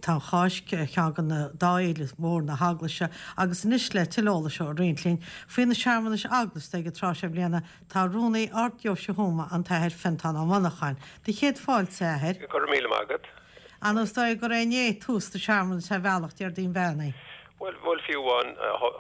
Tá an Cháisc ar cheann de na dá fhéile mhór na hEaglaise agus anois le tuilleadh eolais a roinnt linn faoi na searmanais eaglasta ag an tráth seo bliana tá Rúnaí Ard-Deoise Thuama, an tAthair Fiontán Ó Monacháin. Do chéad fáilte, a Athair. Go raibh míle maith agat. Ar ndóigh is dóigh gur é inné tús na searmanas ar bhealach, Déardaoin Beannaithe. Bhuel, bhuel, fiú amháin,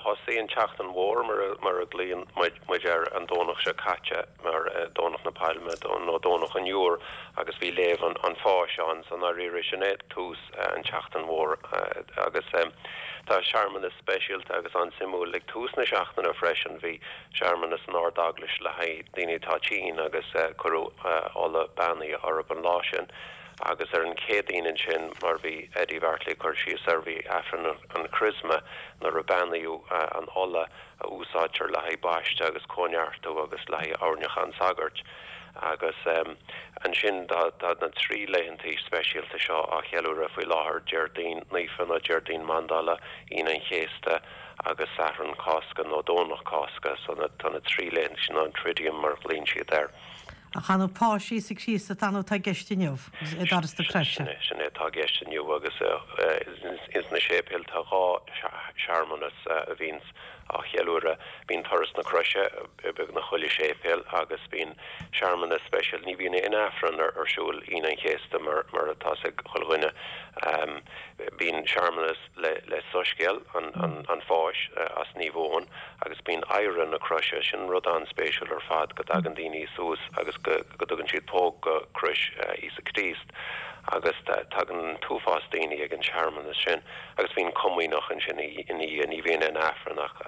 thosaigh an tSeachtain Mhór, mar a ghlaonn muid air, an Domhnach seo caite, mar Domhnach na Pailme nó Domhnach an Iúir, agus bhí léamh an Pháis ann, so i ndáiríre, sin é tús an tSeachtain Mhór. Agus tá searmanas speisialta agus an-suimiúil ag tús na seachtaine freisin, bhí searmanas san Ard-Eaglais le haghaidh daoine atá tinn agus cuireadh ola beannaithe orthu an lá sin. Agus ar an Chéadaoin ansin, mar bhí Eddie Bheairtle ag cur síos air, bhí Aifreann an Chrisma nuair a beannaíodh an ola a úsáidtear le haghaidh baisteadh agus cóineartú agus le haghaidh oirniúchán an tsagairt. Agus ansin tá na trí laethantaí speisialta seo á cheiliúradh faoi láthair, Déardaoin Naofa nó Déardaoin Mandála, Aoine an Chéasta agus Satharn Cásca nó Domhnach Cásca. So tá na trí laethanta sin, an Triduum mar a ghlaonn siad air. Ach ar ndóigh Páis Íosa Críost atá nó atá i gceist inniu, i dTuras na Croise. Sin é, sin é atá i gceist inniu agus ins na séipéil tá dhá shearmanas a bhíonns á cheiliúradh. Bíonn Turas na Croise i beagnach chuile séipéal agus bíonn searmanas speisialta, ní bhíonn aon Aifreann ar siúl Aoine an Chéasta mar mar atá 'fhios ag chuile dhuine. Bíonn searmanas. le Soiscéal an Pháis as Naomh Eoin agus bíonn adhradh na croise, sin rud an-spéisiúil ar fad, go dtagann daoine suas agus go dtugann siad póg go crois Íosa Críost agus tagann an t-uafás daoine ag an searmanas sin agus bíonn comaoineach ansin ina dhiaidh, ní bhíonn aon Aifreann ach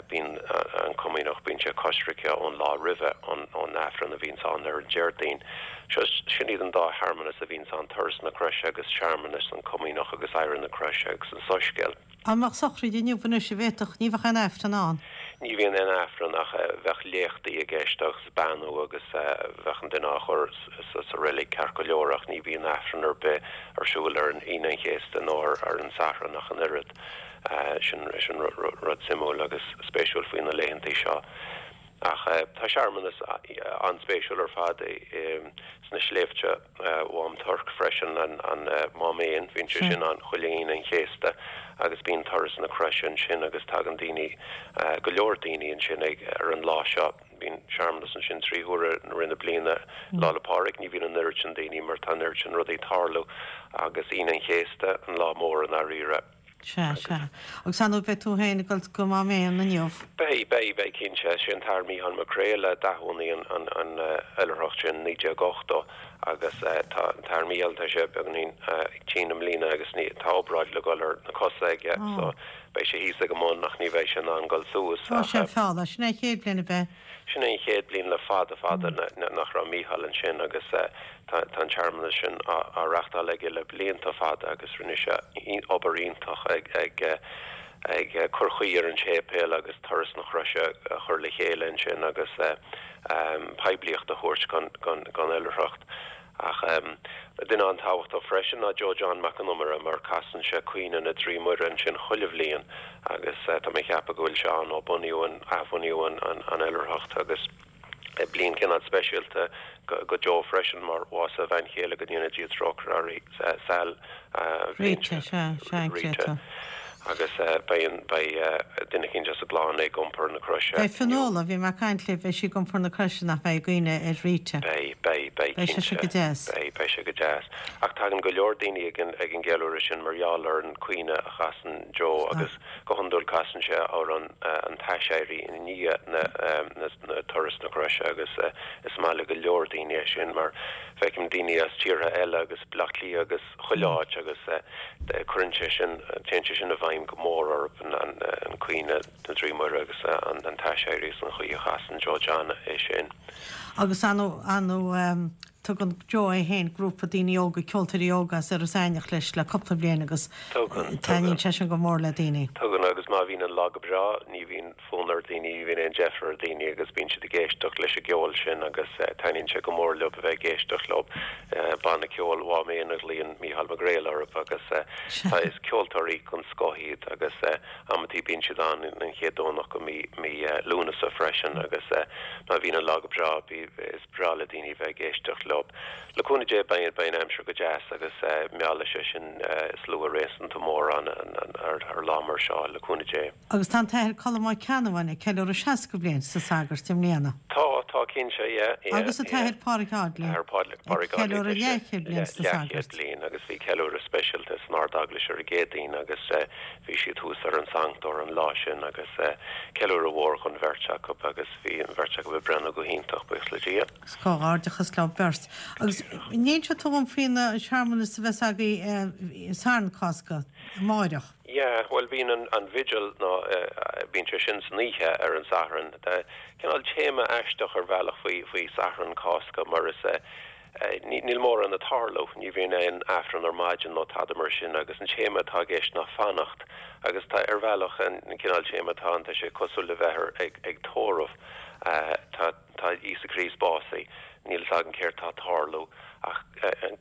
bíonn an comaoineach, bíonn sé coisricthe ón lá roimhe, ón Aifreann a bhíonns ann ar an Déardaoin. Seo, sin iad an dá shearmanas a bhíonns ann, Turas na Croise agus searmanas an Comaoineach agus Adhradh na Croise agus an Soiscéal. Dá mbeadh sochraid inniu anois an bhféadfadh, ní bheadh aon Aifreann ann. Ní bhíonn aon Aifreann ach bheadh léachtaí i gceist agus beannú agus bheadh an duine á chur sa reilig ceart go leor ach ní bhíonn Aifreann ar bith ar siúl ar an Aoine an Chéasta nó ar an Satharn ach an oiread. Sin rud suimiúil agus spéisiúil faoi na laethantaí seo. Ach tá searmanas an-spéisiúil ar fad sna sléibhte Mhám Toirc freisin, an Mám Éan, bíonn sé sin ann chuile Aoine an Chéasta agus bíonn Turas na Croise ansin agus tagann daoine, go leor daoine ansin ag ar an lá seo. Bíonn searmanas ansin trí huaire i rith na bliana. Lá 'le Pádraig ní bhíonn an oiread sin daoine mar tá an oiread sin rudaí ag tarlú agus Aoine an Chéasta an lá mór i ndáiríre. Sea, sea. Agus ar ndóigh beidh tú féin ag dul go Mám Éan inniu. Beidh, beidh, beidh cinnte. Sé an tAthair Mícheál Mac Craoil a d'athbhunaigh an an oilithreacht sin i 1980 agus tá an tAthair Mícheál, tá sé beagáinín tinn i mbliana agus ní, tá obráid le dhul ar na cosa aige so beidh sé thíos ag an mbun ach ní bheidh sé in ann dul suas Tá sé ach. feall, sin é an chéad bhliain a bheith. Sin é an chéad bhliain le fada fada nach raibh Mícheál ansin agus tá an searmanas sin á reachtáil aige le blianta fada agus rinne sé obair iontach ag ag cur chaoi ar an séipéal agus Turas na Croise a chur le chéile ansin agus poiblíocht a thabhairt don oilithreacht. Ach duine an-tábhachtach freisin ná Joe John Mac an Iomaire mar casann sé Caoineadh na dTrí Muire ansin chuile bhliain agus tá mé ag ceapadh go bhfuil sé ann ó bunaíodh an, athbhunaíodh an oilithreacht agus bliain cineál speisialta go Joe freisin mar bhásaigh a bhean chéile go ndéana Dia trócaire uirthi, Sal, an bhliain Rita, sea, sea, Rita. Agus beidh an, beidh duine eicínt as an gclann ag iompar na croise Beidh Fionnuala, bhí mé ag caint léi, beidh sí ag iompar na croise nach mbeidh i gcuimhne ar Rita. Beidh, beidh, beidh Beidh sé cinnte. go deas. Beidh, beidh sé go deas. Ach tagann go leor daoine ag an, ag an gceiliúradh sin mar gheall ar an caoineadh a chasann Joe agus go hiondúil casann sé amhrán an t-aiséirí i ndiaidh na, na, na turas na croise agus is maith le go leor daoine é sin mar feicim daoine as tíortha eile agus Bleá Cliath agus chuile áit agus cuireann sé sin, téann sé sin i bhfeidhm go mór orthu, an Caoineadh na dTrí Muire agus an t-aiséirí agus an chaoi a chasann Joe John é sin. Agus ar ndóigh, tugann Joe é féin grúpa daoine óga, ceoltóirí óga as Iorras Aithneach leis le cúpla bliain agus Tugann, taitníonn sé sin go mór le daoine. Tugann agus. Agus má bhíonn an lá go breá, ní bhíonn fonn ar daoine, ní bhíonn aon deifir ar daoine agus bíonn siad ag éisteacht leis an gceol sin agus taitníonn sé go mór leo a bheith ag éisteacht leo. Banna ceoil Mhám Éan a ghlaonn Mícheál Mac Gréil orthu agus tá, is ceoltóirí den scoth iad agus amantaí bíonn siad ann an chéad Domhnach de mí, mí Lúnasa freisin agus má bhíonn an lá go breá, is breá le daoine a bheith ag éisteacht leo. Le cúnamh Dé beidh, beidh an aimsir go deas agus meallfaidh sé sin slua réasúnta mór ann ar lá mar seo, le cúnamh Dé. Agus tá an tAthair Colm Ó Ceannabháin ag ceiliúradh 60 bliain sna sagairt i mbliana. Tá, tá cinnte, yeah, yeah, Agus an yeah. tAthair Pádraig Audley Athair ag Pádraig Audley, ceiliúradh tá sé leathchéad bliain sna leathchéad sagairt. bliain agus bhí ceiliúradh speisialta san Ard-Eaglais ar an gCéadaoin agus bhí siad thuas ar an sanctóir an lá sin agus ceiliúradh mhór dhon bheirt acu agus bhí an bheirt acu ag breathnú go hiontach, buíochas le Dia. Agus comhghairdeachas leo beirt. Agus an inseoidh tú dhom faoi na searmanas a bheas agaibh Satharn Cásca, amáireach? Yeah, bhuel bíonn an an vigil nó bíonn sé sin san oíche ar an Satharn. Tá cineál téama aisteach ar bhealach faoi faoi Satharn Cásca mar is níl mórán ag tarlú, ní bhíonn aon Aifreann ar maidin nó tada mar sin agus an téama atá i gceist ná fanacht agus tá ar bhealach an cineál téama atá ann tá sé cosúil le bheith ar ag ag tórramh. Tá Tá Íosa Críost básaithe, níl fhios againn céard tá ag tarlú, ach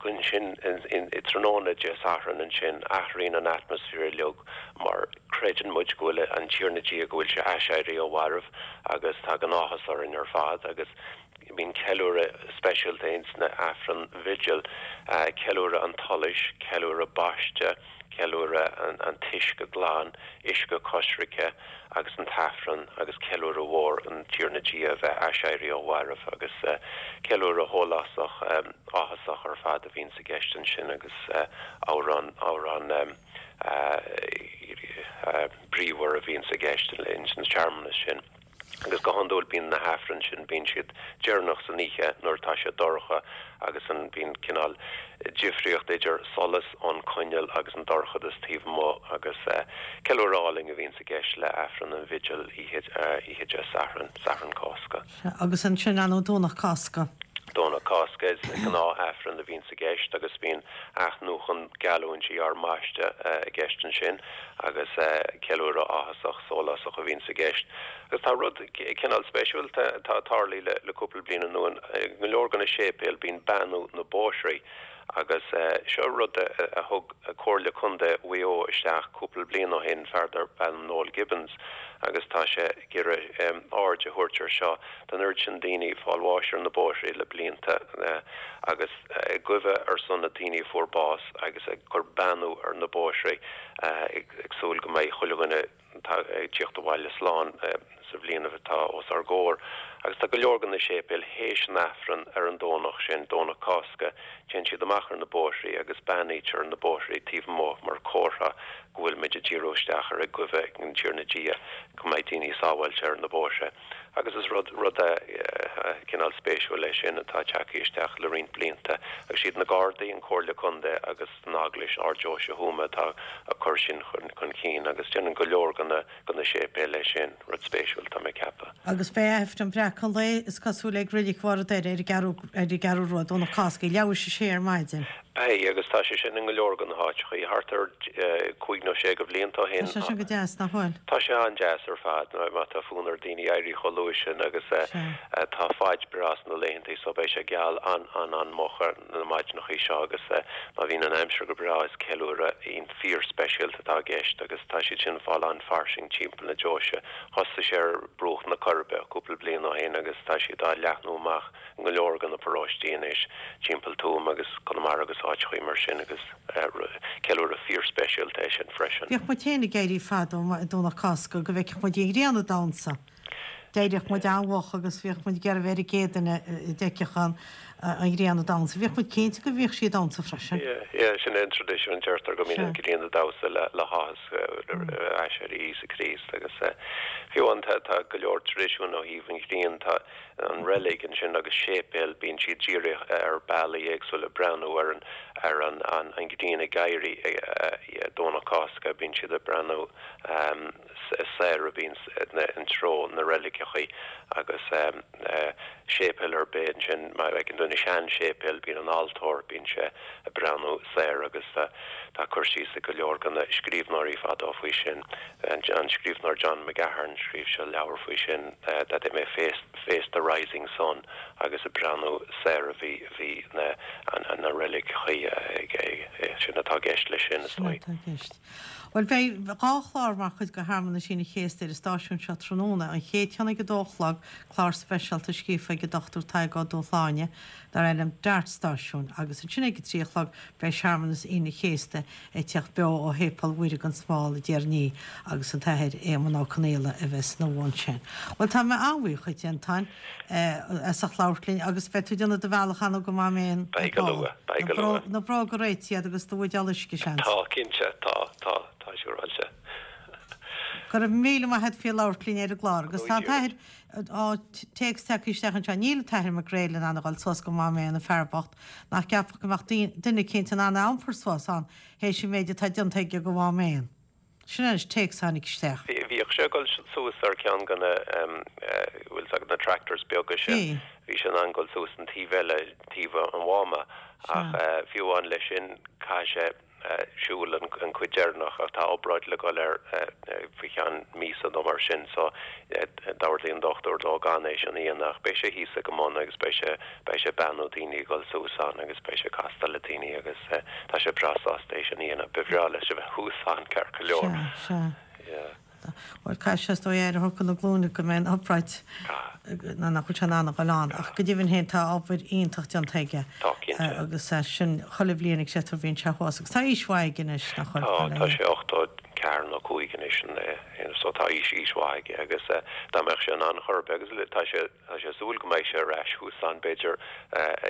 ansin i tráthnóna Dé Sathairn ansin, athraíonn an atmaisféar uilig mar creideann muid go bhfuil an Tiarna Dia, go bhfuil sé aiséirithe ó mhairbh agus tagann áthas orainn ar fad agus bíonn ceiliúradh speisialta ins na Aifreann Vigil, ceiliúradh an tsolais, ceiliúradh baiste. ceiliúradh an t-uisce glan, uisce coisricthe agus an tAifreann agus ceiliúradh mhór an Tiarna Dia a bheith aiséirithe ó mhairbh agus ceiliúradh shólásach áthasach ar fad a bhíonns i gceist ansin agus amhrán amhrán bríomhar a bhíonns i gceist ins na searmanais sin. Agus go hiondúil bíonn na hAifrinn sin, bíonn siad deireanach san oíche nuair atá sé dorcha agus an, bíonn cineál difríocht idir solas ón coinneal agus an dorchadas taobh amuigh agus ceiliúradh álainn a bhíonns i gceist le Aifreann an Bhigil oíche, oíche Dé Sathairn, Satharn Cásca. Sea, agus ansin an Domhnach Cásca. Domhnach Cásca is gnáth Aifreann a bhíonns i gceist agus bíonn athnuachan geallúintí ár mbaiste i gceist ansin. agus ceiliúradh áthasach sólásach a bhíonns i gceist. Agus tá rud cineál speisialta atá tarlaithe le cúpla bliain anuas, i go leor de na séipéil bíonn beannú na bóithrí agus seo rud a thug Comhairle Contae Mhaigh Eo isteach cúpla bliain ó shin, fear darb ainm Noel Gibbons, agus tá sé ag iarraidh aird a thabhairt ar seo. Tá an oiread sin daoine ag fáil bháis ar na bóithrí le blianta agus ag guibhe ar son na daoine a fuair bás agus ag cur beannú ar na bóithrí ag súil go mbeidh chuile dhuine ag tíocht abhaile slán sa bhliain atá os ár gcomhair. Agus tá go leor de na séipéil théis an Aifreann ar an Domhnach sin, Domhnach Cásca, téann siad amach ar na bóithrí agus beannaítear na bóithrí taobh amuigh mar comhartha go bhfuil muid ag díriú isteach ar ag guibhe ag an Tiarna Dia go mbeidh daoine sábháilte ar na bóithre. Agus is rud, rud cineál spéisiúil é sin atá tagtha isteach le roinnt blianta. Agus siad na Gardaí, an Comhairle Contae agus an Eaglais, Ard-Deoise Thuama atá ag cur sin chun cinn agus déanann go leor de na, de na séipéil é sin. Rud spéisiúil, tá mé ag ceapadh. Agus beidh Aifreann Bhreacadh an Lae, is cosúil, ag Reilig Bharr an Doire ar an gCeathrú, ar an gCeathrú Rua, Domhnach Cásca, ag leathuair théis a sé ar maidin. Beidh, agus tá sé sin i ngo leor de na háiteachaí, thart ar chúig nó sé de bhlianta ó shin. Tá sé sin go deas, nach bhfuil? Tá sé an-deas ar fad, má tá fonn ar daoine éirí chomh luath sin agus tá faid breá sna laethantaí so beidh sé geal an-an-an-moch ar na maidineachaí seo agus má bhíonn an aimsir go breá is ceiliúradh fíor-speisialta atá i gceist agus tá siad sin ag fáil an-fhairsing timpeall na deoise. Thosaigh sé ar bruach na Coiribe cúpla bliain ó shin agus tá siad á leathnú amach. i ngo leor de na paróistí anois timpeall Tuaim agus Conamara agus áiteachaí mar sin agus ceiliúradh fíor-speisialta é sin freisin. Bhíodh muid féin ag éirí fadó Domhnach Cásca go bhfeicfeadh muid an ghrian ag damhsa. D'éiríodh muid an-mhoch agus bhíodh muid ag iarraidh bheith ar an gcéad duine a d'fheicfeadh an ghrian ag damhsa. Bhíodh muid cinnte go bhíodh sí ag damhsa freisin. Yeah, yeah, sin é an traidisiún, deirtear go mbíonn an ghrian ag damhsa le háthas aiséirí Íosa Críost agus fiú amháin tá go leor traidisiún ó thaobh an ghrian, tá an reilig ansin agus séipéal, bíonn siad dírithe ar bealaí éagsúla ag breathnú ar an. ar an an ghrian ag éirí Domhnach Cásca, bíonn siad ag breathnú soir a bhíonn i dtreo na reiligeachaí agus séipéal ar bith ansin, má fheiceann tú na sean-séipéil, bíonn an altóir, bíonn sé ag breathnú soir agus tá cur síos ag go leor de na scríbhneoirí fadó faoi sin. An scríbhneoir John McGahern, scríobh sé leabhar faoi sin, that they may face face the rising sun agus ag breathnú soir a bhí bhí na na reiligeachaí ag sin atá i gceist leis sin, is Sin dóigh. atá i gceist. Bhuel, beidh dhá chlár mar chuid de shearmanais Aoine an Chéasta ar an stáisiún seo tráthnóna, an chéad cheann ag a dó a chlog, clár speisialta scríofa ag an Dr Tadhg Ó Dúshláine dar ainm Dart Stáisiúin, agus ansin ag a trí a chlog beidh searmanas Aoine an Chéasta ag teacht beo ó Shéipéal Mhuire gan Smál i dTír an Fhia agus an tAthair Éamonn Ó Conaola a bheas ina bhun sin. Bhuel, tá mé an-bhuíoch dhuit, a Fhionntáin, as ucht labhairt linn agus beidh tú ag déanamh do bhealach ann go Mám Éan Beidh go luath, beidh go luath. Na bróga réitithe agat agus do bhuidéal uisce, seans. Tá, cinnte, tá, tá, tá siúráilte. Go raibh míle maith agat faoi labhairt linn ar an gclár agus tá an tAthair, á, téacs tagtha isteach anseo, níl an tAthair McGrail in ann a dhul suas go Mám Éan an fear bocht, nach gceapfá go mbeadh duine eicínt in ann a iompar suas ann théis an mhéid atá déanta aige go Mhám Éan. Sin anois téacs a tháinig isteach. Bhíodh sé ag dul suas ar ceann de na, bhfuil 's agat, na tractors beaga sin. Bhí sé in ann dul suas an taobh eile, taobh an Mháma, ach fiú amháin leis sin caithfidh sé, siúl an chuid deireanach ach tá obráid le dhul air faoi cheann míosa nó mar sin so d'ordaigh an dochtúir dó gan é sin a dhéanamh ach beidh sé thíos ag an mbun agus beidh sé beidh sé ag beannú daoine ag dul suas ann agus beidh sé ag castáil le daoine agus tá sé breá sásta é sin a dhéanamh. Ba bhreá leis a bheith thuas ann ceart go leor. Sea, sea. Yeah. Bhuel, caithfidh sé is dóigh aire a thabhairt do na glúine go mbeidh an obráid, nó nach bhfuil sé in ann a dhul ann. Ach go deimhin féin tá obair iontach déanta aige. Tá, cinnte. Agus sin chuile bhliain ag sé bhíonn sé thuas. Agus tá aois mhaith aige anois, nach bhfuil? Tá, tá sé 84 nó 5 anois, so tá aois, aois mhaith aige agus dá mbeadh sé in ann chor ar bith, agus tá sé, tá sé ag súil go mbeidh sé ar ais thuas ann b'fhéidir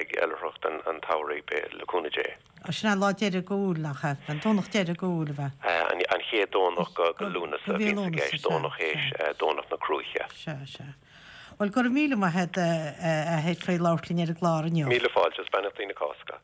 ag oilithreacht an tsamhraidh, le cúnamh Dé. Sin an lá deiridh d'Iúil, nach ea? An Domhnach deiridh d'Iúil, ab ea? An chéad Domhnach de Lúnasa a bhíonns i gceist, Domhnach théis Domhnach na Cruaiche. Sea, sea. Bhuel, go raibh míle maith agat, a Athair, faoi labhairt linn ar an gclár inniu. Míle fáilte, is beannachtaí na Cásca.